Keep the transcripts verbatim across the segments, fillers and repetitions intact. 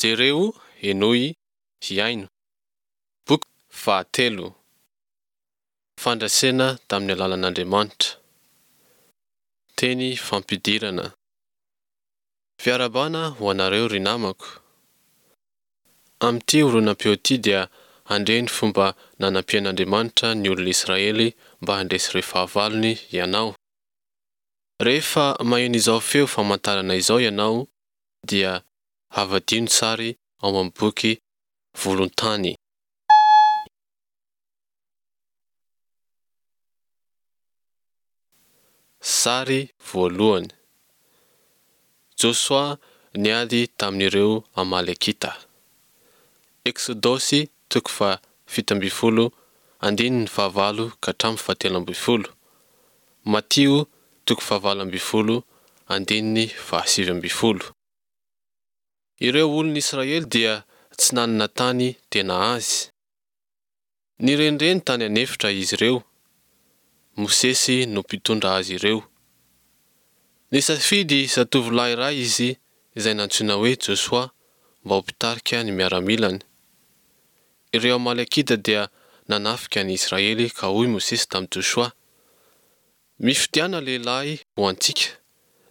Jereo, henoy, hiaino. Boky fahatelo. Fandresena tamin'ny alalan'Andriamanitra. Teny fampidirana. Fiarahabana ho anareo ry namako. Amin'ity horonam-peo ity dia handre ny fomba nanampian'Andriamanitra ny olona Israely mba handresy ireo fahavalony ianao. Rehefa maheno izao feo famantarana izao ianao dia havadio ny sary ao amin'ny boky volontany. Sary voalohany. Josoa niady tamin'ireo Amalekita. Eksodosy toko fahafito ambin'ny folo andininy fahavalo ka hatramin'ny fahatelo ambin'ny folo. Matio toko fahavalo ambin'ny folo andininy fahasivy ambin'ny folo. Ireo olon'ny Israely dia tsy nanana tany tena azy. Nirenireny tany an'efitra izy ireo. Mosesy no mpitondra azy ireo. Nisafidy zatovolahy iray izy izay nantsoina hoe Josoa mba ho mpitarika ny miaramilany. Ireo Amalekita dia nanafika ny Israely ka hoy Mosesy tamin'i Josoa, Mifidiana lehilahy ho antsika,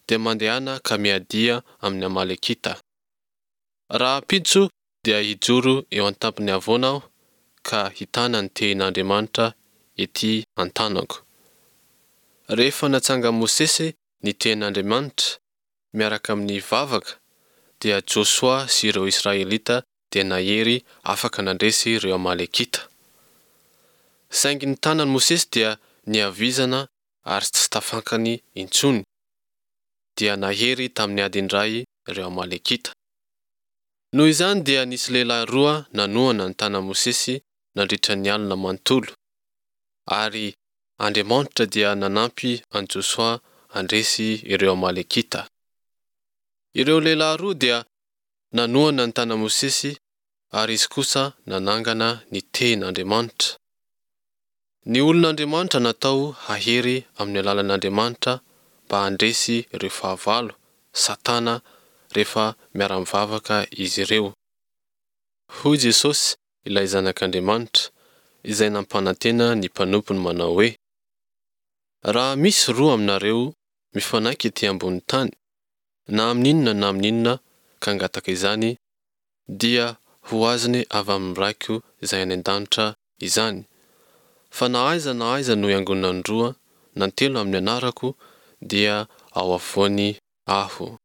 dia mandehana ka miadia amin'ny Amalekita. Rahampitso dia hijoro eo an-tampon'ny havoana aho ka hitana ny tehin'Andriamanitra ety an-tanako. Rehefa natsangan'i Mosesy ny tehin'Andriamanitra, miaraka amin'ny vavaka, dia Josoa sy ireo Israelita dia nahery afaka nandresy ireo Amalekita. Saingy ny tanan'i Mosesy dia nihavizana ary tsy tafankany intsony. Dia nahery tamin'ny ady indray ireo Amalekita. Noho izany dia nisy lehilahy roa nanohana ny tanan'i Mosesy nandritra ny alina manontolo, ary Andriamanitra dia nanampy an'i Josoa handresy ireo Amalekita. Ireo lehilahy roa dia nanohana ny tanan'i Mosesy ary izy kosa nanangana ny tehin'Andriamanitra. Ny olon'Andriamanitra natao hahery amin'ny alalan'Andriamanitra mba handresy ireo fahavalo, Satana, rehefa miara-mivavaka izy ireo. Hoy Jesosy, ilay Zanak'Andriamanitra, izay nampanantena ny mpanompony manao hoe, Raha misy roa aminareo mifanaiky ety ambonin'ny tany, na amin'inona na amin'inona ka hangataka izany, dia ho azony avy amin'ny Raiko izay any an-danitra izany. Fa na aiza na aiza no iangonan'ny roa na telo amin'ny anarako, dia ao afovoany Aho.